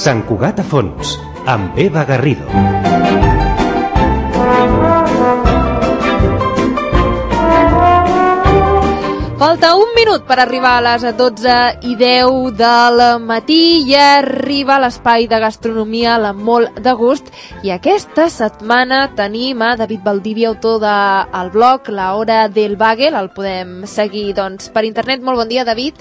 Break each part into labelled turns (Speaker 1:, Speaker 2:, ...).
Speaker 1: Sant Cugat a Fons, amb Eva Garrido.
Speaker 2: Falta un minut per arribar a les 12:10 del matí i arriba l'espai de gastronomia La Molt de Gust, i aquesta setmana tenim a David Valdivia, autor del blog La Hora del Bagel. El podem seguir doncs per internet. Molt bon dia, David.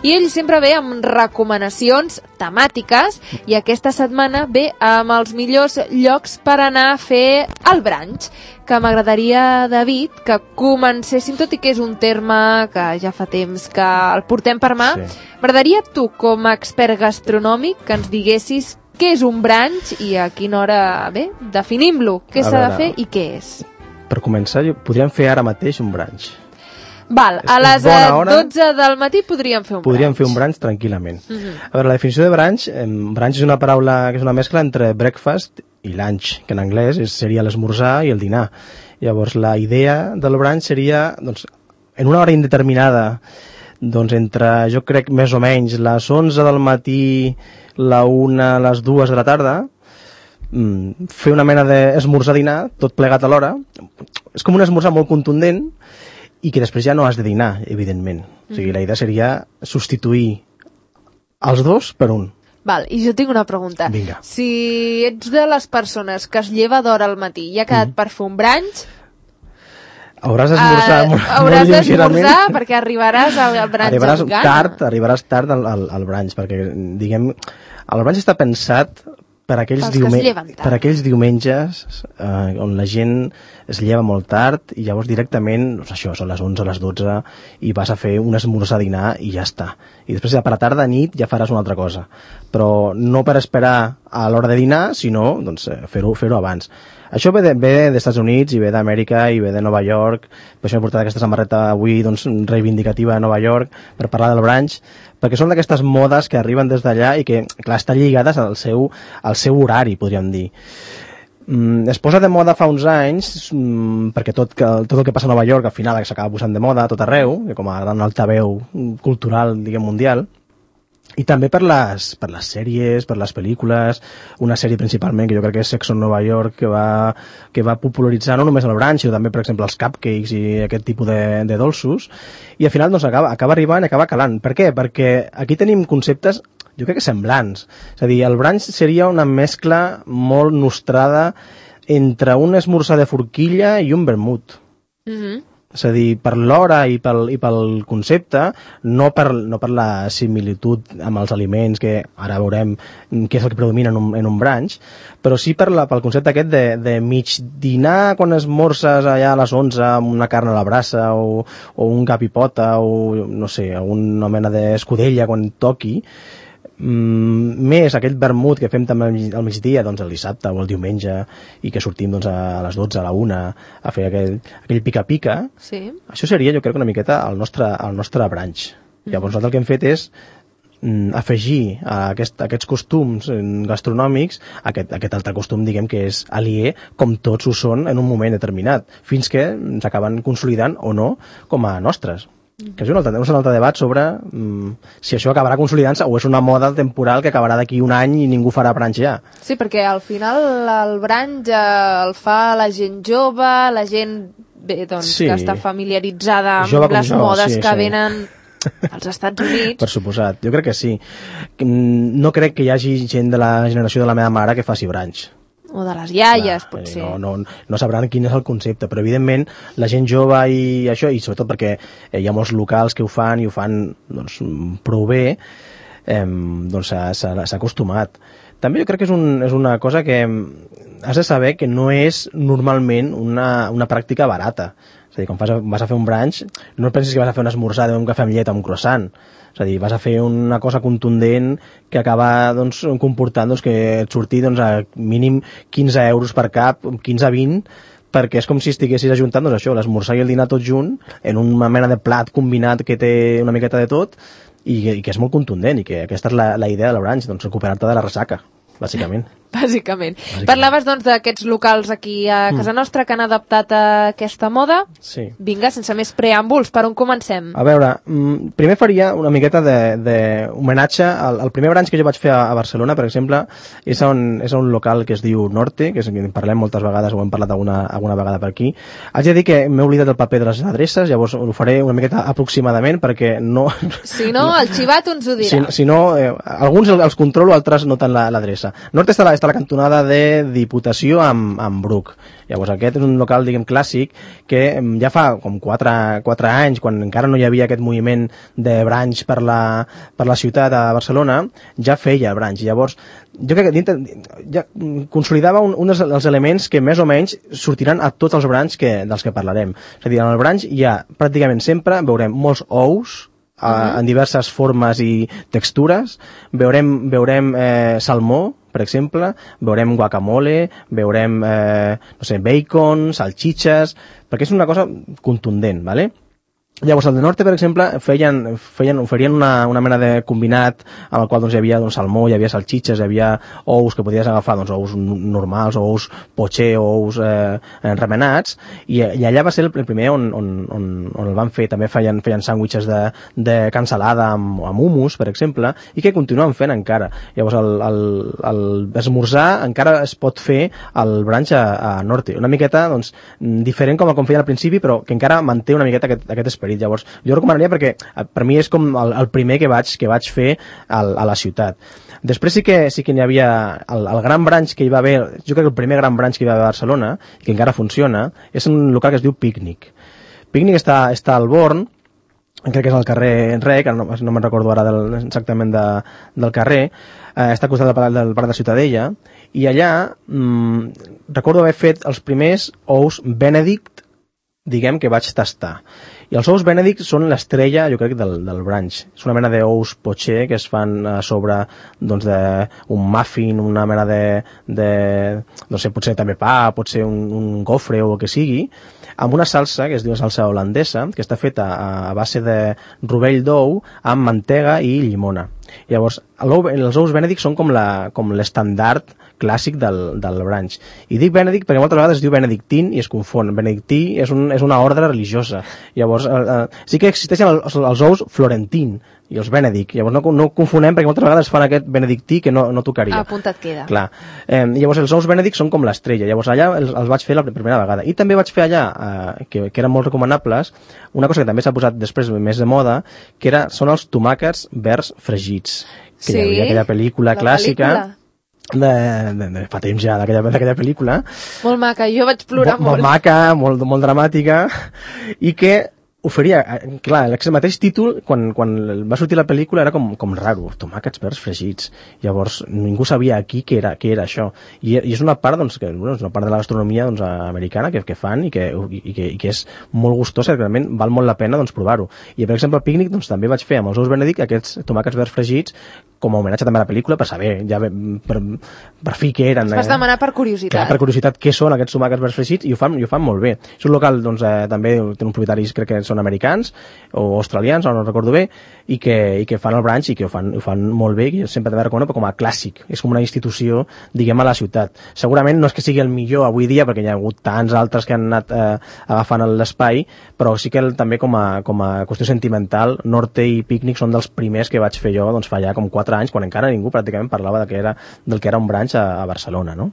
Speaker 2: I ell sempre ve amb recomanacions temàtiques, i aquesta setmana ve amb els millors llocs per anar a fer el brunch, que m'agradaria, David, que comencéssim, tot i que és un terme que ja fa temps que el portem per mà. Sí. M'agradaria, tu, com a expert gastronòmic, que ens diguessis què és un brunch i a quina hora, bé, definim-lo, què s'ha de fer i què és.
Speaker 3: Per començar, podríem fer ara mateix un brunch.
Speaker 2: Val, a les 12 del matí podríem fer un brunch.
Speaker 3: Podríem fer un brunch tranquil·lament. A veure, la definició de brunch és una paraula que és una mescla entre breakfast i lunch, que en anglès seria l'esmorzar i el dinar. Llavors, la idea del brunch seria, doncs, en una hora indeterminada, doncs entre, jo crec, més o menys, les 11 del matí, la 1, les 2 de la tarda, fer una mena d'esmorzar-dinar, tot plegat alhora. És com un esmorzar molt contundent, i que després ja no has de dinar, evidentment. O sigui, la idea seria substituir els dos per un.
Speaker 2: Val, i jo tinc una pregunta.
Speaker 3: Vinga.
Speaker 2: Si ets de les persones que es lleva d'hora al matí i ha quedat per fer un brunch,
Speaker 3: hauràs d'esmorzar
Speaker 2: hauràs d'esmorzar perquè arribaràs al brunch
Speaker 3: arribaràs tard al brunch, perquè, diguem, el brunch està pensat per aquells diumenges on la gent es lleva molt tard i llavors directament, doncs això, són les 11, les 12 i vas a fer un esmorzar-dinar i ja està. I després ja per la tarda, nit, ja faràs una altra cosa. Però no per esperar a l'hora de dinar, sinó doncs, fer-ho abans. Això ve dels Estats Units i ve d'Amèrica i ve de Nova York. Per això he portat aquesta samarreta avui, doncs, reivindicativa de Nova York per parlar del brunch, perquè són d'aquestes modes que arriben des d'allà i que, clar, estan lligades al seu horari, podríem dir. Es posa de moda fa uns anys, perquè tot el que passa a Nova York al final s'acaba posant de moda a tot arreu, com a gran altaveu cultural, diguem, mundial. I també per les sèries, per les pel·lícules, una sèrie principalment que jo crec que és Sex on Nova York, que va popularitzar no només el brunch, sinó també, per exemple, els cupcakes i aquest tipus de dolços, i al final doncs, acaba arribant i acaba calant. Per què? Perquè aquí tenim conceptes, jo crec que semblants. És a dir, el brunch seria una mescla molt nostrada entre un esmorzar de forquilla i un vermut. És a dir, per l'hora i pel concepte, no per la similitud amb els aliments, que ara veurem què és el que predomina en un brunch, però sí pel concepte aquest de mig dinar quan esmorzes allà a les 11 amb una carn a la brasa o un cap i pota o, no sé, alguna mena d'escudella quan toqui, més aquell vermut que fem també al migdia, doncs el dissabte o el diumenge, i que sortim doncs, a les 12, a la 1 a fer aquell pica-pica.
Speaker 2: Sí.
Speaker 3: Això seria, jo crec, una miqueta el nostre brunch. Llavors nosaltres el que hem fet és afegir a aquests costums gastronòmics aquest altre costum, diguem, que és aliè, com tots ho són en un moment determinat, fins que s'acaben consolidant o no com a nostres. Que és un altre debat sobre si això acabarà consolidant-se o és una moda temporal que acabarà d'aquí un any i ningú farà brunch ja. Sí,
Speaker 2: perquè al final el brunch el fa la gent jove, la gent que està familiaritzada amb les modes que venen als Estats Units.
Speaker 3: Per suposat, jo crec que sí. No crec que hi hagi gent de la generació de la meva mare que faci brunch.
Speaker 2: O de les iaies, potser.
Speaker 3: No sabran quin és el concepte, però evidentment la gent jove i això, i sobretot perquè hi ha molts locals que ho fan i ho fan doncs, prou bé, doncs s'ha acostumat. També jo crec que és una cosa que has de saber que no és normalment una pràctica barata. És a dir, quan vas a fer un brunch, no pensis que vas a fer un esmorzar d'un cafè amb llet amb un croissant. És a dir, vas a fer una cosa contundent que acaba doncs, comportant doncs, que et surti doncs, a mínim 15 euros per cap, 15 a 20, perquè és com si estiguessis ajuntant doncs, això, l'esmorzar i el dinar tot junt en una mena de plat combinat que té una miqueta de tot i que és molt contundent, i que aquesta és la idea del brunch, doncs, recuperar-te de la ressaca, bàsicament.
Speaker 2: bàsicament. Parlaves, doncs, d'aquests locals aquí a casa nostra que han adaptat a aquesta moda.
Speaker 3: Sí.
Speaker 2: Vinga, sense més preàmbuls, per on comencem?
Speaker 3: A veure, primer faria una miqueta d'homenatge al primer branch que jo vaig fer a Barcelona, per exemple, és a un local que es diu Norte, que en parlem moltes vegades, ho hem parlat alguna vegada per aquí. Haig de dir que m'he oblidat el paper de les adreces, llavors ho faré una miqueta aproximadament, perquè no...
Speaker 2: Si no, el xivat ens ho dirà.
Speaker 3: Si no, alguns els controlo, altres no tant l'adreça. Norte està a la cantonada de Diputació amb Bruc. Llavors aquest és un local, diguem, clàssic que ja fa com 4 anys, quan encara no hi havia aquest moviment de branch per la ciutat a Barcelona, ja feia branch. Llavors, jo crec que ja consolidava dels elements que més o menys sortiran a tots els branch dels que parlarem. És a dir, en el branch ja pràcticament sempre veurem molts ous, en diverses formes i textures, veurem salmó, per exemple, veurem guacamole, veurem bacon, salchichas, perquè és una cosa contundent, ¿vale? Llavors, al de Norte, per exemple, oferien una mena de combinat en el qual hi havia salmó, hi havia salchiches, hi havia ous que podies agafar, ous normals, ous poché, ous remenats, i allà va ser el primer on el van fer. També feien sàndwiches de cansalada amb hummus, per exemple, i que continuen fent encara. Llavors, l'esmorzar encara es pot fer al branch a Norte. Una miqueta, diferent com feien al principi, però que encara manté una miqueta aquest esperit. Llavors, jo recomanaria perquè per mi és com el primer que vaig fer a la ciutat. Després sí que n'hi havia el gran branch que hi va haver, jo crec que el primer gran branch que hi va haver a Barcelona, que encara funciona, és un local que es diu Pícnic. Pícnic està al Born, crec que és al carrer Rec, no me'n recordo ara exactament del carrer, està al costat del parc de Ciutadella, i allà recordo haver fet els primers ous Benedict, diguem, que vaig tastar. I els ous Benedict són l'estrella, jo crec, del branch. És una mena d'ous poché que es fan a sobre d'un muffin, una mena no sé, potser també pa, potser un gofre o el que sigui, amb una salsa que es diu salsa holandesa, que està feta a base de rovell d'ou amb mantega i llimona. Llavors, els ous Benedict són com l'estandard clàssic del branch. I dic Benedict perquè moltes vegades es diu Benedictine i es confon. Benedictí és una ordre religiosa. Llavors, sí que existeixen els ous Florentín i els Benedict. Llavors no confonem perquè moltes vegades fan aquest benedictí que no tocaria.
Speaker 2: Apuntat queda.
Speaker 3: Clar. Llavors els ous Benedict són com l'estrella. Llavors allà els vaig fer la primera vegada. I també vaig fer allà, que eren molt recomanables, una cosa que també s'ha posat després més de moda, que són els tomàquets verds fregits. Que hi havia aquella pel·lícula clàssica de fa temps ja d'aquella pel·lícula.
Speaker 2: Molt maca, jo vaig plorar molt.
Speaker 3: Molt maca, molt dramàtica, i que oferia, clar, el mateix títol, quan va sortir la pel·lícula era com raro, tomàquets verds fregits. Llavors, ningú sabia aquí què era això. I és una part, és una part de la gastronomia americana que fan i que és molt gustosa, que realment val molt la pena provar-ho. I, per exemple, al Pícnic també vaig fer amb els ous Benedict aquests tomàquets verds fregits com a homenatge també a la pel·lícula, per saber, ja per fi què eren.
Speaker 2: Els vas demanar per curiositat.
Speaker 3: Clar, per curiositat, què són aquests tomàquets verds fregits, i ho fan molt bé. És un local, també té uns propietaris, crec que són americans o australians, no recordo bé, i que fan el branch i que ho fan molt bé, i sempre també recomano com a clàssic. És com una institució, diguem, a la ciutat. Segurament no és que sigui el millor avui dia, perquè hi ha hagut tants altres que han anat agafant l'espai, però sí que també com a qüestió sentimental, Norte i Pícnic són dels primers que vaig fer jo fa ja com 4 anys, quan encara ningú pràcticament parlava del que era un branch a Barcelona, no?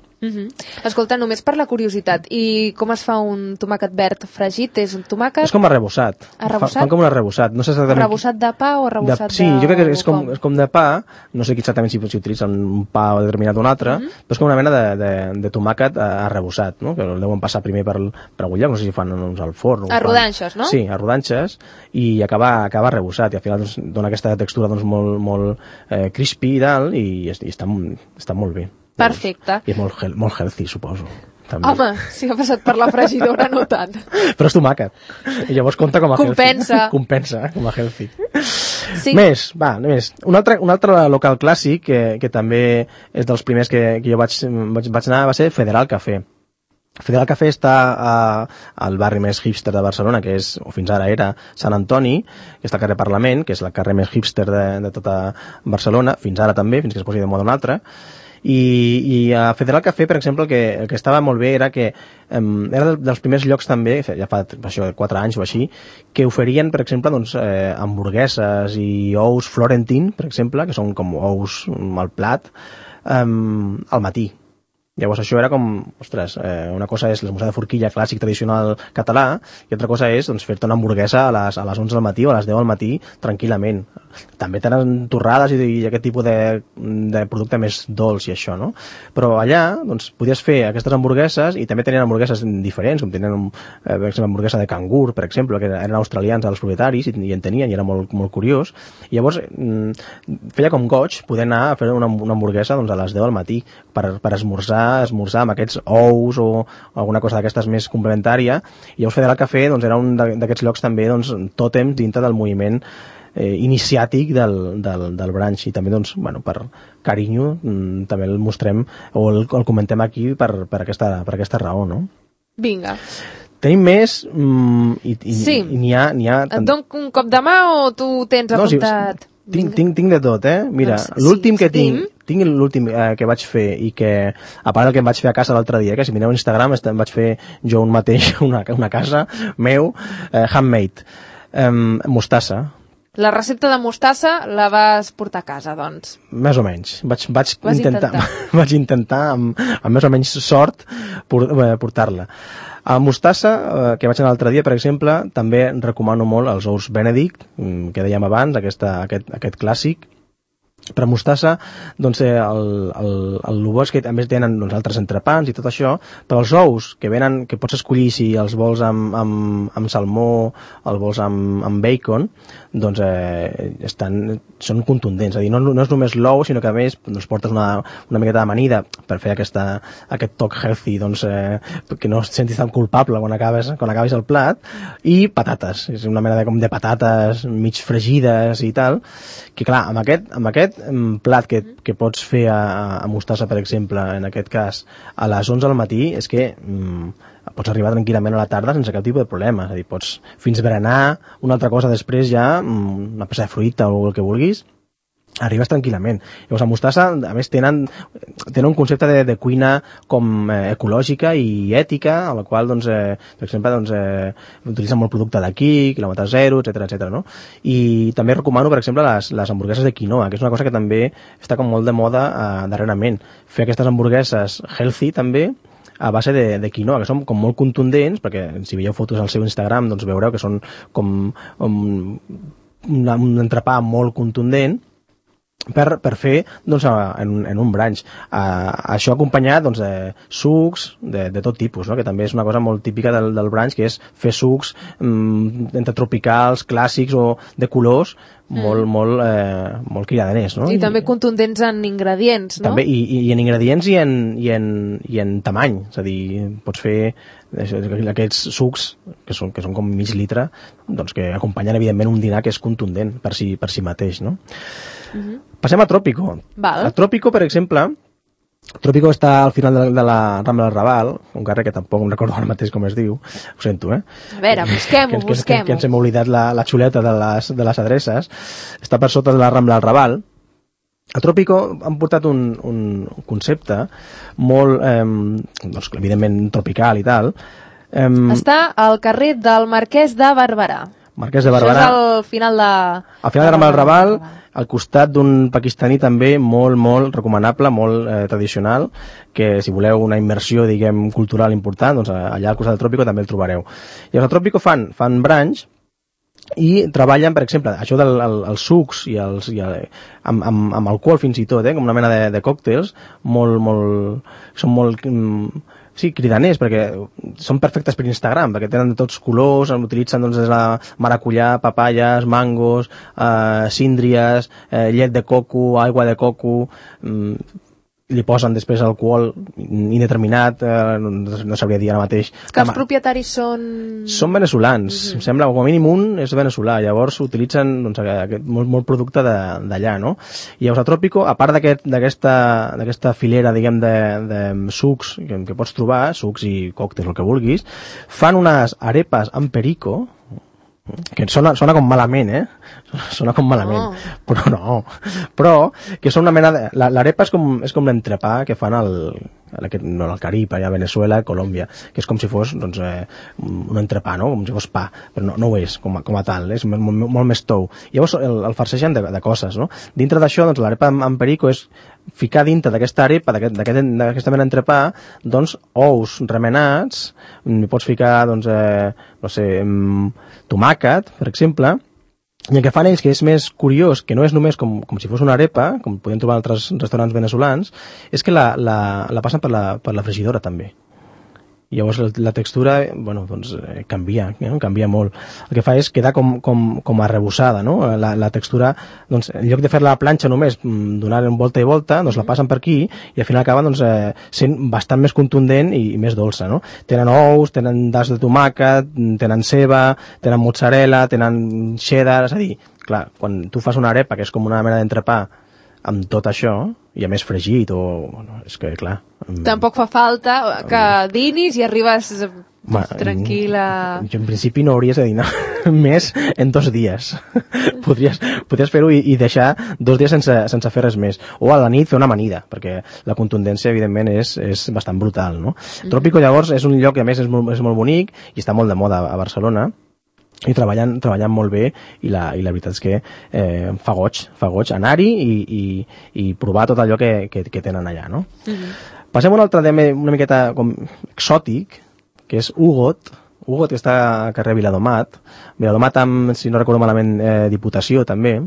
Speaker 2: Escolta, només per la curiositat, i com es fa un tomàquet verd fregit? És un tomàquet...
Speaker 3: És com arrebossat. Fan com un arrebossat. No sé exactament...
Speaker 2: Arrebossat de pa o arrebossat
Speaker 3: Sí, jo crec que és com de pa, no sé exactament si utilitzen un pa determinat o un altre, però és com una mena de tomàquet arrebossat, no? Que el deuen passar primer per agullar, no sé si fan al forn.
Speaker 2: A rodanxes, no?
Speaker 3: Sí, a rodanxes, i acaba arrebossat, i al final dona aquesta textura molt crispy i tal, i està molt bé.
Speaker 2: Perfecte.
Speaker 3: I és molt healthy, suposo. També.
Speaker 2: Home, si ha passat per la fregidora, no tant.
Speaker 3: Però és tomàquet. I llavors compta com a
Speaker 2: healthy.
Speaker 3: Compensa, com a healthy.
Speaker 2: Sí.
Speaker 3: Més. Un altre local clàssic que també és dels primers que jo vaig anar va ser Federal Café. Federal Café està al barri més hipster de Barcelona, que és, o fins ara era, Sant Antoni, que està al carrer Parlament, que és el carrer més hipster de tota Barcelona, fins ara també, fins que es posi de moda un altre. I a Federal Café, per exemple, el que estava molt bé era que era dels primers llocs també, ja fa això, 4 anys o així, que oferien, per exemple, doncs, hamburgueses i ous Florentin, per exemple, que són com ous al plat, al matí. Llavors això era com, ostres, una cosa és l'esmorzar de forquilla clàssic tradicional català i altra cosa és doncs, fer-te una hamburguesa a les 11 del matí o a les 10 del matí tranquil·lament. També tenen torrades i aquest tipus de producte més dolç i això, no? Però allà doncs, podies fer aquestes hamburgueses i també tenien hamburgueses diferents, com tenien per exemple, hamburguesa de cangur, per exemple, que eren australians els propietaris i en tenien i era molt, molt curiós. I llavors feia com goig poder anar a fer una hamburguesa doncs, a les 10 del matí per esmorzar amb aquests ous o alguna cosa d'aquestes més complementària. I llavors Federal Café doncs, era un d'aquests llocs també doncs, tòtem dintre del moviment iniciàtic del brunch i també doncs, bueno, per carinyo també el mostrem o el comentem aquí per aquesta raó, no?
Speaker 2: Vinga.
Speaker 3: Tenim més
Speaker 2: sí.
Speaker 3: i n'hi ha...
Speaker 2: Et dono un cop de mà o tu tens apuntat?
Speaker 3: Tinc de tot, Mira, doncs, l'últim que tinc l'últim que vaig fer i que, a part del que em vaig fer a casa l'altre dia, que si mireu a Instagram em vaig fer jo un mateix una casa meu, handmade, mostassa.
Speaker 2: La recepta de mostassa la vas portar a casa, doncs?
Speaker 3: Més o menys. Vaig intentar amb més o menys sort portar-la. A mostassa, que vaig anar l'altre dia, per exemple, també recomano molt els ous Benedict, que dèiem abans, aquest clàssic. Per mostassa, doncs, el bo és que també tenen doncs, altres entrepans i tot això, però els ous que pots escollir si els vols amb salmó, els vols amb bacon, doncs són contundents. És a dir, no és només l'ou, sinó que a més doncs, portes una miqueta d'amanida per fer aquest toc healthy, doncs, que no et sentis tan culpable quan acabis el plat, i patates. És una mena de patates mig fregides i tal, que clar, amb aquest plat que pots fer a mostassa, per exemple, en aquest cas, a les 11 del matí, és que pots arribar tranquil·lament a la tarda sense cap tipus de problema. És a dir, pots fins berenar una altra cosa després ja, una peça de fruita o el que vulguis, arribes tranquil·lament. Llavors, a mostassa, a més, tenen un concepte de cuina com ecològica i ètica, a la qual, doncs, per exemple, utilitzen molt producte d'aquí, quilòmetre zero, etc, no? I també recomano, per exemple, les hamburgueses de quinoa, que és una cosa que també està com molt de moda darrerament. Fer aquestes hamburgueses healthy, també, a base de quinoa, que són com molt contundents, perquè si veieu fotos al seu Instagram, doncs veureu que són com un entrepà molt contundent, per fer doncs, en un brunch. Això acompanyat doncs, de sucs de tot tipus, no? Que també és una cosa molt típica del brunch, que és fer sucs entre tropicals, clàssics o de colors molt cridadaners, no?
Speaker 2: I també contundents en ingredients, no?
Speaker 3: També, i en ingredients i en tamany, és a dir, pots fer aquests sucs que són com mig litre, doncs que acompanyen evidentment un dinar que és contundent per si mateix, no? Passem a Trópico.
Speaker 2: Val.
Speaker 3: A Trópico, per exemple, Trópico està al final de la Rambla del Raval, un carrer que tampoc em recordo ara mateix com es diu, ho sento,
Speaker 2: A veure, busquem-ho.
Speaker 3: Que ens hem oblidat la xuleta de les adreces. Està per sota de la Rambla del Raval. A Trópico han portat un concepte molt, doncs, evidentment, tropical i tal.
Speaker 2: Està al carrer del Marquès de Barberà.
Speaker 3: Marquès de Barberà.
Speaker 2: Això és al final de...
Speaker 3: Al final de Rambla del Raval, al costat d'un pakistaní també molt recomanable, molt tradicional, que si voleu una immersió, diguem, cultural important, doncs allà al costat del Trópico també el trobareu. I al Trópico fan brunch i treballen, per exemple, això dels sucs i amb alcohol fins i tot, com una mena de còctels, són molt cridaners, perquè són perfectes per Instagram, perquè tenen de tots colors, utilitzen doncs, des de maracuyà, papayes, mangos, síndries, llet de coco, aigua de coco, li posen després alcohol indeterminat, no sabria dir ara mateix.
Speaker 2: Que els propietaris són...
Speaker 3: Són veneçolans, em sembla, com a mínim un és veneçolà, llavors utilitzen doncs, molt producte d'allà, no? I llavors a Trópico, a part d'aquesta filera, diguem, de sucs que pots trobar, sucs i còctels, el que vulguis, fan unes arepas amb perico, que sona com malament, sona com malament, però no, però que són una mena de... L'arepa és com l'entrepà que fan al Carib, allà a Venezuela, a Colòmbia, que és com si fos doncs, un entrepà, no? Com si fos pa, però no ho és com a tal, és molt més tou. Llavors el farceixen de coses, no? Dintre d'això, doncs, l'arepa amb perico és ficar dintre d'aquesta arepa, d'aquesta mena d'entrepà, doncs, ous remenats, hi pots ficar, doncs, no sé, tomàquet, per exemple, i el que fan ells, que és més curiós, que no és només com si fos una arepa, com podem trobar en altres restaurants veneçolans, és que la passen per la fregidora també. I llavors la textura, bueno, doncs canvia molt. El que fa és quedar com arrebossada, no? La textura, doncs, en lloc de fer-la a la planxa només, donar-li volta i volta, doncs la passen per aquí i al final acaba doncs, sent bastant més contundent i més dolça, no? Tenen ous, tenen das de tomàquet, tenen ceba, tenen mozzarella, tenen cheddar, és a dir, clar, quan tu fas una arepa que és com una mena d'entrepà amb tot això, i a més fregit, bueno, és que, clar...
Speaker 2: Tampoc fa falta que dinis i arribes tranquil·la...
Speaker 3: Jo, en principi, no hauries de dinar més en 2 dies. Podries fer-ho i deixar 2 dies sense fer res més. O a la nit fer una amanida, perquè la contundència, evidentment, és bastant brutal, no? Trópico, llavors, és un lloc que, a més, és molt bonic i està molt de moda a Barcelona, i treballant molt bé i la veritat és que fa goig anar-hi i provar tot allò que tenen allà, no? Passem a un altre tema una miqueta com exòtic, que és Ugot, que està a carrer Viladomat amb, si no recordo malament, Diputació també.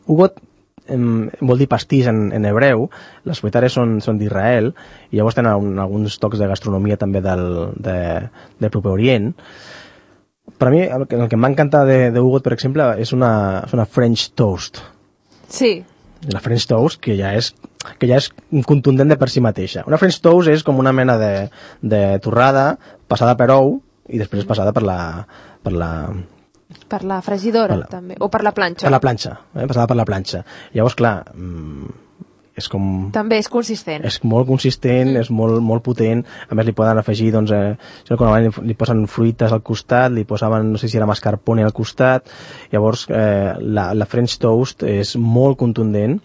Speaker 3: Ugot vol dir pastís en hebreu, les propietàries són d'Israel i llavors tenen alguns tocs de gastronomia també del Proper Orient. Per a mi, el que m'ha encantat de Ugot, per exemple, és una French toast.
Speaker 2: Sí.
Speaker 3: La French toast, que ja és contundent de per si mateixa. Una French toast és com una mena de torrada passada per ou i després passada per la
Speaker 2: fregidora, també. O per la planxa.
Speaker 3: Per la planxa, passada per la planxa. Llavors, clar... és com...
Speaker 2: També és consistent.
Speaker 3: És molt consistent, és molt potent. A més, li poden afegir, doncs, li posen fruites al costat, li posaven, no sé si era mascarpone al costat. Llavors, la French toast és molt contundent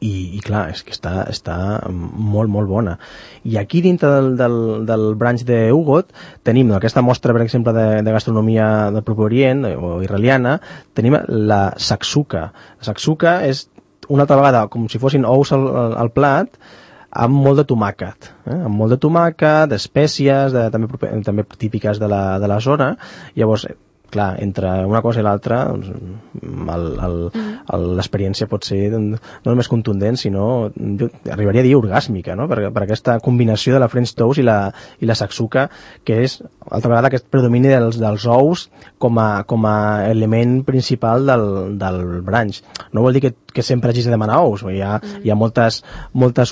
Speaker 3: i clar, és que està molt bona. I aquí dintre del branch de Ugot tenim aquesta mostra, per exemple, de gastronomia del Proper Orient o israeliana, tenim la saksuka. La saksuka és una altra vegada com si fossin ous al plat amb molt de tomàquet, amb molt de tomàquet, espècies també típiques de la zona. Llavors, clar, entre una cosa i l'altra l'experiència pot ser no només contundent, sinó jo arribaria a dir orgàsmica, no? Per aquesta combinació de la French toast i la saksuka, que és altra vegada aquest predomini dels ous com a element principal del brunch. No vol dir que sempre hagis de demanar ous, hi ha moltes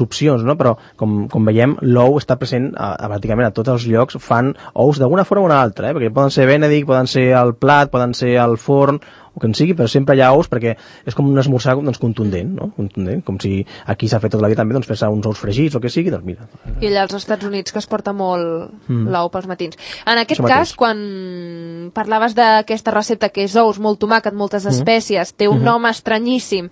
Speaker 3: opcions, no? Però com veiem, l'ou està present pràcticament a tots els llocs, fan ous d'alguna forma o una altra, perquè poden ser Benedict, poden ser al plat, poden ser al forn, o que en sigui, però sempre hi ha ous perquè és com un esmorzar contundent, no? Contundent, com si aquí s'ha fet tota la vida també fer-se uns ous fregits o que sigui, doncs mira.
Speaker 2: I allà als Estats Units que es porta molt l'ou pels matins. En aquest cas, quan parlaves d'aquesta recepta que és ous, molt tomàquet, moltes espècies, té un nom estranyíssim,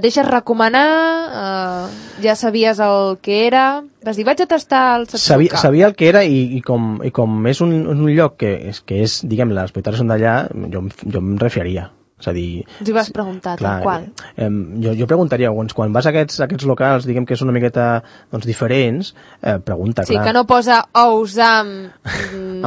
Speaker 2: deixes recomanar, ja sabies el que era, vas dir, vaig a tastar el saksuka.
Speaker 3: Sabia el que era i com és un lloc que és, diguem, les propietàries són d'allà, jo em refiaria. És a dir...
Speaker 2: Us hi vas preguntar, tal qual.
Speaker 3: Jo preguntaria, quan vas a aquests locals, diguem que són una miqueta diferents, pregunta, clar.
Speaker 2: Sí, que no posa ous amb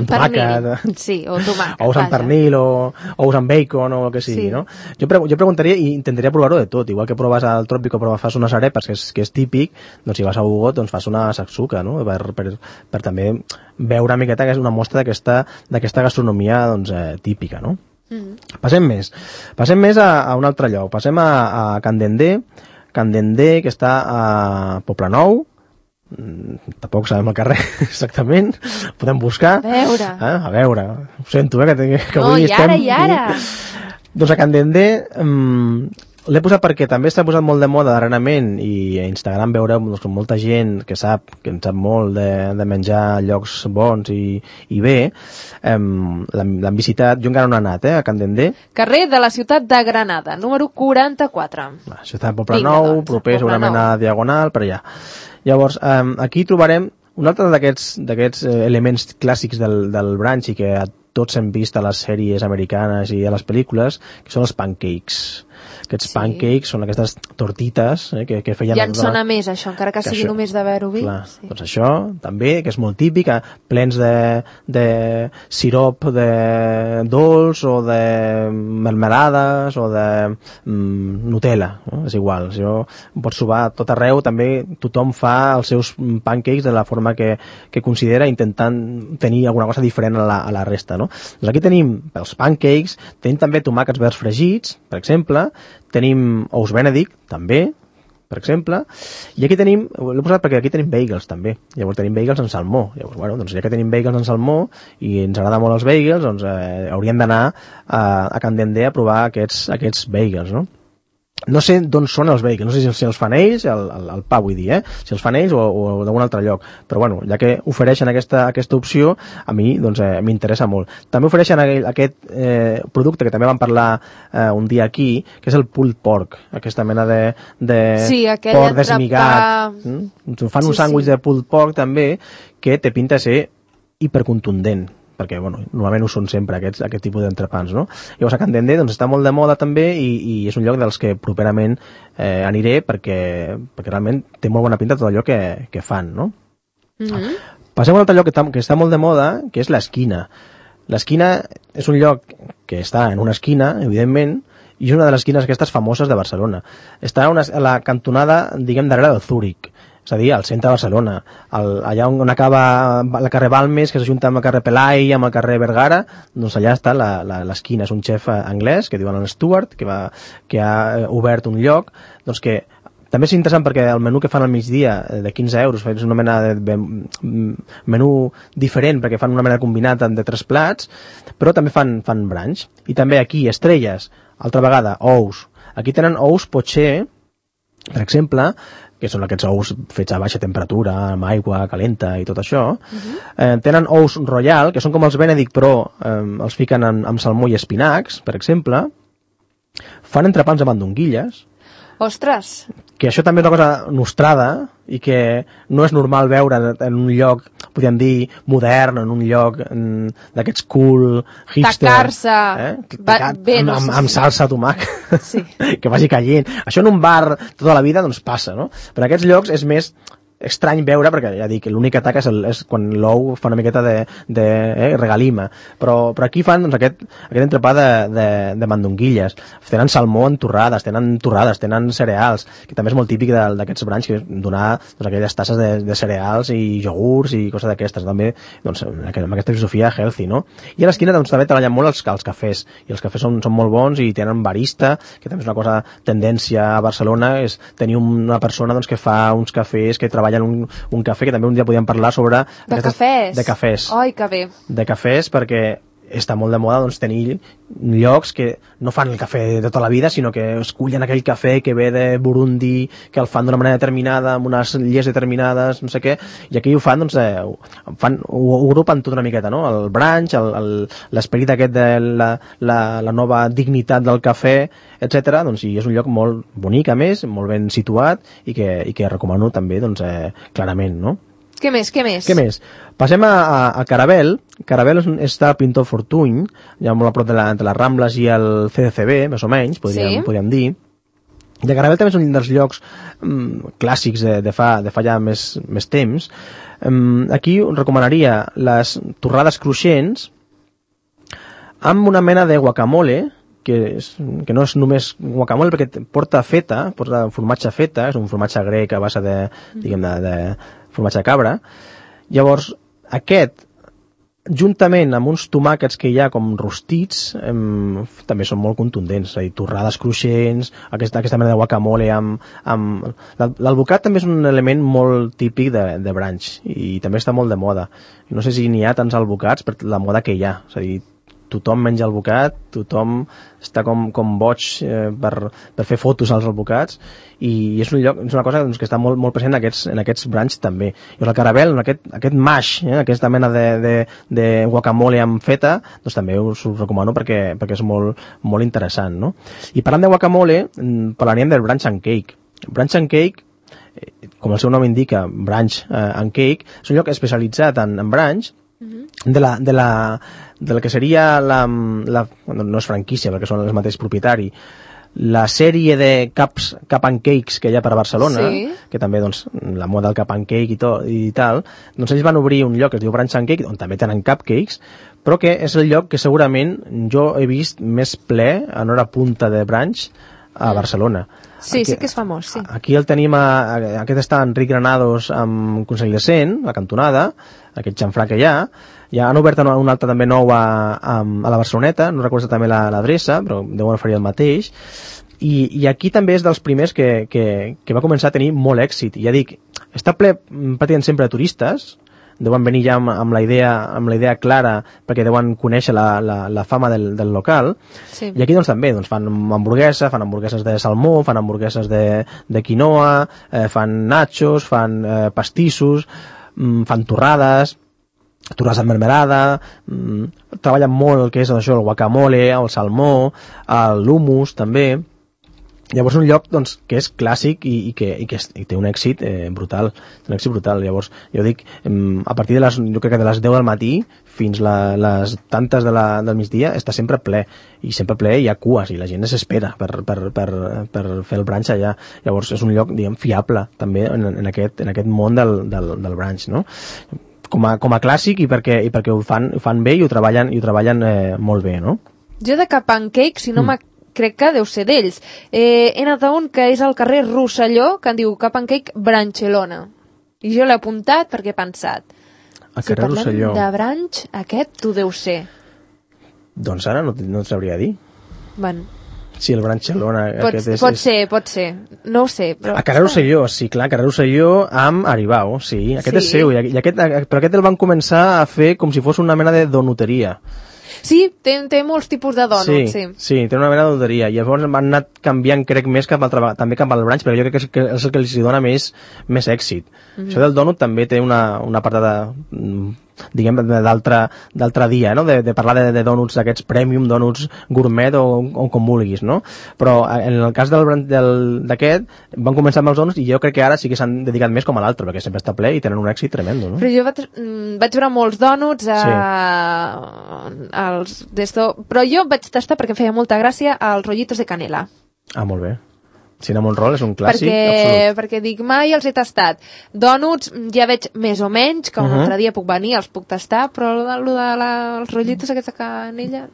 Speaker 3: pernil.
Speaker 2: Sí, o tomàquet.
Speaker 3: Ous amb pernil o ous amb bacon o el que sigui, no? Jo preguntaria i intentaria provar-ho de tot. Igual que proves al Trópico, fas unes arepas, que és típic, doncs si vas a Ugot, doncs fas una saksuka, no? Per també veure una miqueta que és una mostra d'aquesta gastronomia típica, no? Passem més a un altre lloc. Passem a Can Dendé, que està a Poblenou. Tampoc sabem el carrer exactament, podem buscar. A veure, ho sento, que avui
Speaker 2: i ara.
Speaker 3: Doncs a Can Dendé, L'he posat perquè també s'ha posat molt de moda darrerament i a Instagram veureu doncs, molta gent que en sap molt de menjar llocs bons i bé. L'han visitat, jo encara no he anat, a Can Dendé.
Speaker 2: Carrer de la ciutat de Granada, número 44.
Speaker 3: Ciutat de Poblenou, proper segurament a Diagonal, per allà. Llavors, aquí trobarem un altre d'aquests elements clàssics del brunch i que tots hem vist a les sèries americanes i a les pel·lícules, que són els pancakes. Aquests pancakes són aquestes tortites que feien...
Speaker 2: Ja en sona més, això, encara que sigui només de veure-ho vi.
Speaker 3: Sí. Doncs això, també, que és molt típic, plens de sirop de dolç o de melmelades o de Nutella, no? És igual, això ho pots trobar a tot arreu, també tothom fa els seus pancakes de la forma que considera, intentant tenir alguna cosa diferent a la resta, no? Doncs aquí tenim els pancakes, tenim també tomàquets verds fregits, per exemple, tenim ous Benedict, també, per exemple, i aquí tenim, l'he posat perquè aquí tenim bagels, també. Llavors tenim bagels en salmó. Llavors, bueno, doncs ja que tenim bagels en salmó i ens agrada molt els bagels, doncs hauríem d'anar a Can Dendé a provar aquests bagels, no? No sé d'on són els bagels, no sé si els fan ells, el pa vull dir, si els fan ells o d'algun altre lloc, però bueno, ja que ofereixen aquesta opció, a mi doncs m'interessa molt. També ofereixen aquest producte que també vam parlar un dia aquí, que és el pulled pork, aquesta mena de porc desmigat. Fan un sàndwich de pulled pork també, que té pinta de ser hipercontundent, perquè bueno, normalment ho són sempre aquest tipus d'entrepans, no? Llavors a Can Dendé doncs, està molt de moda també i és un lloc dels que properament aniré perquè realment té molt bona pinta tot allò que fan, no? Passem a un altre lloc que està molt de moda, que és l'Esquina. L'Esquina és un lloc que està en una esquina, evidentment, i és una de les esquines aquestes famoses de Barcelona. Està a la cantonada, diguem, darrere del Zúrich, és a dir, al centre de Barcelona, allà on acaba el carrer Balmes, que s'ajunta amb el carrer Pelai, amb el carrer Vergara, doncs allà està l'esquina. És un xef anglès, que diuen el Stuart, que ha obert un lloc, doncs que també és interessant perquè el menú que fan al migdia de 15 euros és una mena de menú diferent perquè fan una mena de combinat de 3 plats, però també fan brunch. I també aquí estrelles, altra vegada, ous. Aquí tenen ous Poché, per exemple, que són aquests ous fets a baixa temperatura, amb aigua calenta i tot això. Tenen ous Royal, que són com els Benedict, però els fiquen amb salmó i espinacs, per exemple. Fan entrepans de mandonguilles.
Speaker 2: Ostres!
Speaker 3: Que això també és una cosa nostrada i que no és normal veure en un lloc, podríem dir, modern, en un lloc d'aquests cool, hipster.
Speaker 2: Tacar-se
Speaker 3: amb salsa de tomàquet,
Speaker 2: sí.
Speaker 3: Que vagi caient. Això en un bar tota la vida doncs passa, no? Però en aquests llocs és més estrany veure, perquè ja dic, l'únic atac és quan l'ou fa una miqueta de regalima, però aquí fan doncs, aquest entrepà de mandonguilles. Tenen salmó en torrades, tenen cereals, que també és molt típic d'aquests brunch, que és donar doncs, aquelles tasses de cereals i iogurts i coses d'aquestes, també doncs, amb aquesta filosofia healthy, no? I a l'esquina doncs, també treballen molt els cafès, i els cafès són molt bons i tenen barista, que també és una cosa tendència a Barcelona, és tenir una persona doncs, que fa uns cafès, que treballa en un cafè, que també un dia podíem parlar sobre...
Speaker 2: De cafès?
Speaker 3: De cafès.
Speaker 2: Ai, que bé.
Speaker 3: De cafès, perquè està molt de moda doncs, tenir llocs que no fan el cafè de tota la vida, sinó que escullen aquell cafè que ve de Burundi, que el fan d'una manera determinada, amb unes lleis determinades, no sé què, i aquí ho fan, doncs, ho agrupen tot una miqueta, no? El brunch, l'esperit aquest de la nova dignitat del cafè, etc. Doncs, i és un lloc molt bonic, a més, molt ben situat, i que recomano també, doncs, clarament, no?
Speaker 2: Què més?
Speaker 3: Passem a Caravel. Caravel està al Pintor Fortuny, ja molt a prop entre les Rambles i el CDCB, més o menys, podríem dir. I Caravel també és un dels llocs clàssics de fa ja més temps. Aquí us recomanaria les torrades cruixents amb una mena de guacamole, que no és només guacamole, perquè porta formatge feta, és un formatge grec a base de formatge de cabra. Llavors, aquest, juntament amb uns tomàquets que hi ha com rostits, també són molt contundents, és a dir, torrades cruixents, aquesta mena de guacamole l'alvocat també és un element molt típic de brunch, i també està molt de moda. No sé si n'hi ha tants alvocats per la moda que hi ha, és a dir, tothom menja albocat, tothom està com boig per fer fotos als albocats, i és una cosa doncs, que està molt, molt present en aquests branys també. I el caramel, aquest mash, aquesta mena de guacamole amb feta, doncs també us ho recomano perquè és molt, molt interessant, no? I parlant de guacamole, parlaríem del brunch and cake. Brunch and cake, com el seu nom indica, brunch and cake, és un lloc especialitzat en brunch, del que seria no és franquícia perquè són els mateixos propietaris, la sèrie de cup and cakes que hi ha per a Barcelona, que també doncs, la moda del cup and cake i tal, doncs ells van obrir un lloc que es diu Brunch and Cake, on també tenen cupcakes, però que és el lloc que segurament jo he vist més ple en hora punta de brunch a Barcelona.
Speaker 2: Sí, sí que és famós, sí.
Speaker 3: Aquí el tenim, aquest està Enric Granados amb Consell de Cent, la cantonada, aquest xamfrà que hi ha. Ja han obert un altre també nou a la Barceloneta, no recordo també l'adreça, però deuen oferir el mateix. I aquí també és dels primers que va començar a tenir molt èxit. I ja dic, està ple pràcticament sempre de turistes, deuen venir ja amb la idea clara perquè deuen conèixer la fama del local, sí. I aquí doncs també fan hamburgueses de salmó, fan hamburgueses de quinoa, fan nachos, fan pastissos, fan torrades amb mermelada, treballen molt el que és això, el guacamole, el salmó, l'hummus també. Llavors un lloc doncs, que és clàssic i té un èxit brutal, Llavors jo dic, a partir jo crec que de les 10 del matí fins les tantes del migdia està sempre ple, i sempre ple hi ha cues i la gent s'espera per fer el brunch allà. Llavors és un lloc, diguem, fiable també en aquest món del brunch, no? Com a clàssic i perquè ho fan bé i ho treballen molt bé, no?
Speaker 2: Jo de Cup and Cake, si no crec que deu ser d'ells. He anat a un que és al carrer Rosselló, que en diu Cup and Cake Branchelona. I jo l'he apuntat perquè he pensat, si parlem de brunch, aquest tu deu ser.
Speaker 3: Doncs ara no et sabria dir.
Speaker 2: Bueno.
Speaker 3: Sí, el Branchelona.
Speaker 2: Pot ser. No ho sé. Però...
Speaker 3: A carrer Rosselló, sí, clar, carrer Rosselló amb Aribau, sí. Aquest és seu, però aquest el van començar a fer com si fos una mena de donuteria.
Speaker 2: Sí, té molts tipus de dònuts,
Speaker 3: sí, té una mena de donuteria. I llavors van anar canviant, crec, més també cap al brunch, perquè jo crec que és el que els dona més èxit. Això del dònut també té una part diguem, d'altre dia, no? De parlar de dònuts d'aquests premium, dònuts gourmet o com vulguis, no? Però en el cas d'aquest van començar amb els dònuts i jo crec que ara sí que s'han dedicat més com a l'altre, perquè sempre està ple i tenen un èxit tremendo, no?
Speaker 2: Però jo vaig veure molts dònuts però jo vaig tastar perquè em feia molta gràcia els rollitos de canela.
Speaker 3: Ah, molt bé. Cinnamon roll és un clàssic absolut.
Speaker 2: Perquè dic, mai els he tastat. Dònuts ja veig més o menys, que un altre dia puc venir, els puc tastar, però els rotllitos aquests de canella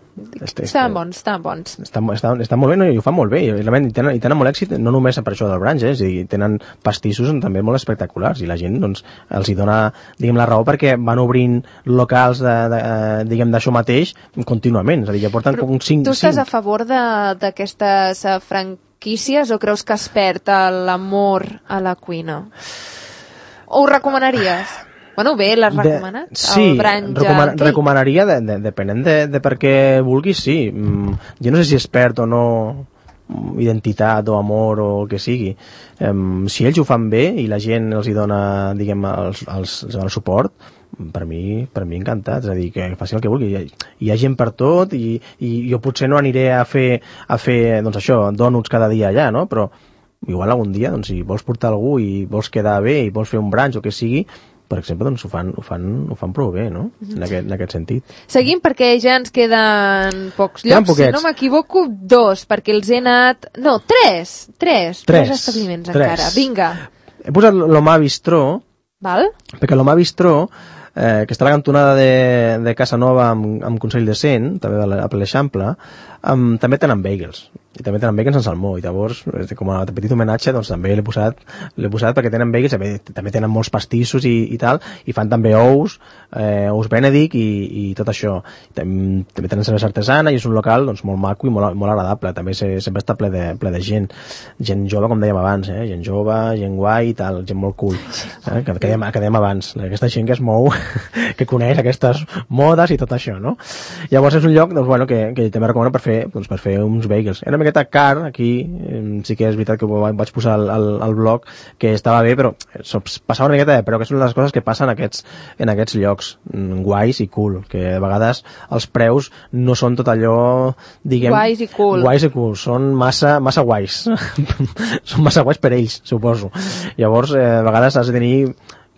Speaker 2: estaven bons.
Speaker 3: Estan molt bé, no? I ho fan molt bé, i tenen molt èxit, no només per això del brunch, és a dir, tenen pastissos també molt espectaculars, i la gent doncs, els hi dona, diguem, la raó perquè van obrint locals diguem, d'això mateix contínuament, és a dir, ja porten com 5...
Speaker 2: Tu estàs a favor d'aquestes franquícies o creus que es perd l'amor a la cuina? O ho recomanaries? Bueno, bé, l'has recomanat?
Speaker 3: Sí, recomanaria, depenent de per què vulguis, sí. Jo no sé si es perd o no identitat o amor o el que sigui. Si ells ho fan bé i la gent els hi dona, diguem, el suport, per mi encantat, és a dir, que faci el que vulgui. Hi ha gent per tot i jo potser no aniré a fer doncs això, dònuts cada dia allà, no? Però igual algun dia, doncs, si vols portar algú i vols quedar bé i vols fer un brunch o que sigui, per exemple, doncs ho fan prou bé, no? En aquest sentit.
Speaker 2: Seguim perquè ja ens queden pocs llocs. Si no m'equivoco, 2, perquè els he anat... No, 3 establiments encara. Vinga.
Speaker 3: He posat l'Omar Bistró, perquè l'Omar Bistró, que està a la cantonada de Casa Nova amb Consell de Cent, també a l'Eixample, també tenen bagels. i també tenen bacon sense salmó, i llavors com a petit homenatge doncs també l'he posat perquè tenen bacon, també tenen molts pastissos i tal, i fan també ous Benedict i tot això. També tenen cervesa artesana i és un local doncs molt maco i molt agradable, també sempre està ple de gent jove, com dèiem abans, gent jove, gent guai i tal, gent molt cool, que dèiem abans, aquesta gent que es mou que coneix aquestes modes i tot això, no? Llavors és un lloc doncs, bueno, que també recomano per fer uns bagels. Era una miqueta car, aquí sí que és veritat que ho vaig posar al blog, que estava bé, però passava una miqueta de preu, que són les coses que passen en aquests llocs guais i cool, que a vegades els preus no són tot allò, diguem...
Speaker 2: Guais i cool,
Speaker 3: són massa guais. Són massa guais per ells, suposo. Llavors, a vegades has de tenir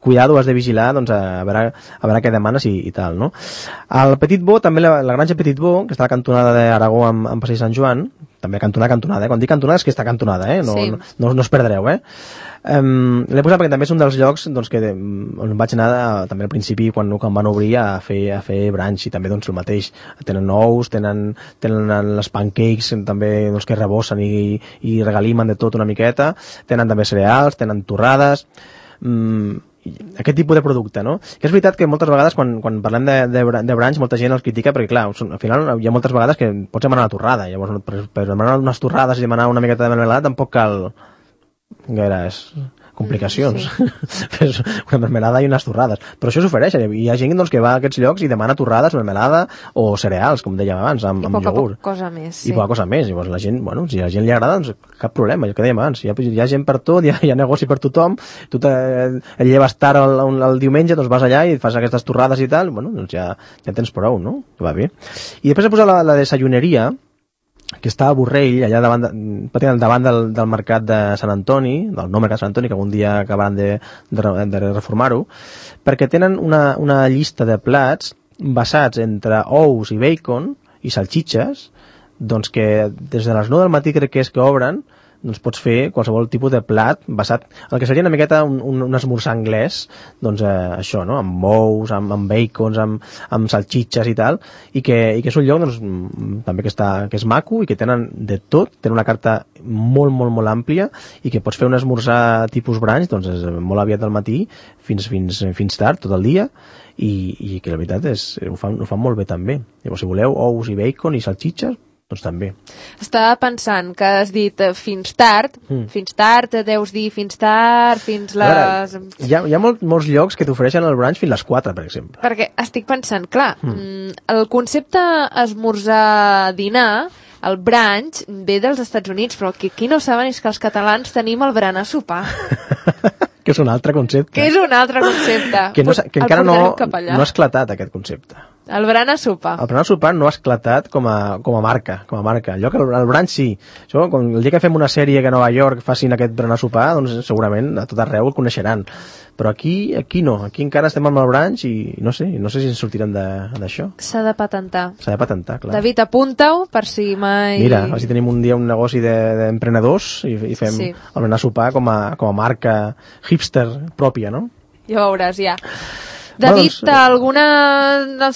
Speaker 3: cuidado, has de vigilar, doncs, a veure què demanes i tal, no? El Petit Bo, també la granja Petit Bo, que està a la cantonada d'Aragó amb Passeig Sant Joan, també cantonada, quan dic cantonada és que està cantonada, no us perdreu, l'he posat perquè també és un dels llocs doncs, on vaig anar també al principi quan van obrir a fer brunch, i també doncs el mateix, tenen ous, tenen les pancakes també doncs, que rebossen i regalimen de tot una miqueta, tenen també cereals, tenen torrades, aquest tipus de producte, no? Que és veritat que moltes vegades quan parlem de brunch molta gent els critica perquè, clar, al final hi ha moltes vegades que pots demanar una torrada, llavors per demanar unes torrades i demanar una miqueta de mermelada tampoc cal gaires complicacions. Fes una mermelada i unes torrades. Però això s'ofereix. Hi ha gent doncs, que va a aquests llocs i demana torrades, mermelada o cereals, com dèiem abans, amb iogurt.
Speaker 2: I poca cosa més.
Speaker 3: I poca cosa més. Llavors la gent, bueno, si a la gent li agrada, doncs cap problema, el que dèiem abans. Hi ha gent per tot, hi ha negoci per tothom, tu et lleves tard el diumenge, doncs vas allà i fas aquestes torrades i tal, bueno, doncs ja tens prou, no? Va bé. I després he posat la desayuneria, que està a Borrell, allà davant del mercat de Sant Antoni, del nou mercat de Sant Antoni, que algun dia acabaran de reformar-ho, perquè tenen una llista de plats basats entre ous i bacon i salxitxes, doncs que des de les 9 del matí crec que és que obren, doncs pots fer qualsevol tipus de plat basat en el que seria una miqueta un esmorzar anglès, doncs això, no? Amb ous, amb bacons, amb salxitxes i tal, i que és un lloc doncs, també que és maco i que tenen de tot, tenen una carta molt, molt, molt àmplia i que pots fer un esmorzar tipus brunch, doncs és molt aviat del matí fins tard, tot el dia, i que la veritat és ho fan molt bé també. Llavors, si voleu ous i bacon i salxitxes, doncs també.
Speaker 2: Estava pensant que has dit fins tard, deus dir fins tard, fins les...
Speaker 3: Hi ha molts llocs que t'ofereixen el brunch fins les 4, per exemple.
Speaker 2: Perquè estic pensant, clar, el concepte esmorzar-dinar, el brunch, ve dels Estats Units, però el que aquí no saben és que els catalans tenim el berenar-sopar.
Speaker 3: Que és un altre concepte.
Speaker 2: Que
Speaker 3: encara no ha esclatat aquest concepte.
Speaker 2: El berenar-sopar.
Speaker 3: El berenar-sopar no ha esclatat com a marca. Allò que el brunch sí. Això, el dia que fem una sèrie que a Nova York facin aquest berenar-sopar, doncs segurament a tot arreu el coneixeran. Però aquí no. Aquí encara estem amb el brunch i no sé si ens sortirem d'això.
Speaker 2: S'ha de patentar.
Speaker 3: Clar.
Speaker 2: David, apunta-ho per si mai...
Speaker 3: Mira, a veure si tenim un dia un negoci d'emprenedors i fem el berenar-sopar com a marca hipster pròpia, no?
Speaker 2: Ja veuràs, ja. David, s'ha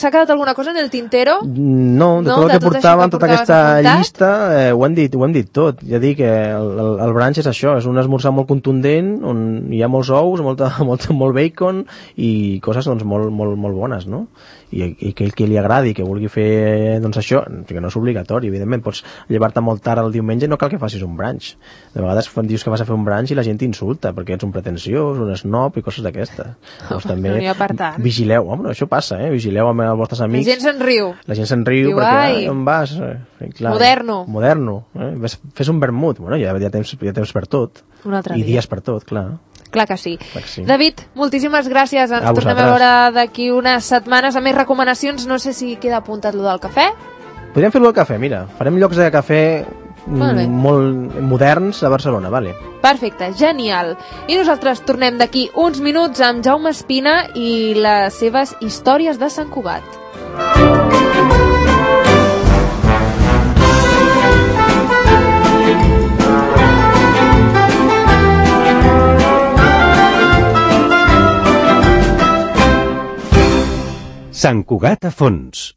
Speaker 2: quedat alguna cosa en el tintero?
Speaker 3: No, de tot el que portàvem, tota aquesta llista, ho hem dit tot. Ja dic que el brunch és això, és un esmorzar molt contundent, on hi ha molts ous, molt bacon i coses doncs, molt bones, no? I aquell que li agradi, que vulgui fer doncs això, que no és obligatori, evidentment, pots llevar-te molt tard el diumenge, no cal que facis un brunch. De vegades dius que vas a fer un brunch i la gent t'insulta, perquè ets un pretensiós, un snob i coses d'aquestes. Doncs també vigileu, home, això passa, vigileu amb els vostres amics.
Speaker 2: La gent se'n riu.
Speaker 3: Diu, perquè on vas? Clar, moderno. Fes un vermut, bueno, ja temps per tot. I dies per tot, clar.
Speaker 2: Clar que sí. David, moltíssimes gràcies. Ens tornem a veure d'aquí unes setmanes amb més recomanacions. No sé si queda apuntat lo del cafè.
Speaker 3: Podríem fer-lo del cafè, mira. Farem llocs de cafè molt moderns a Barcelona, vale?
Speaker 2: Perfecte, genial. I nosaltres tornem d'aquí uns minuts amb Jaume Espina i les seves històries de Sant Cugat.
Speaker 1: Sant Cugat a fons.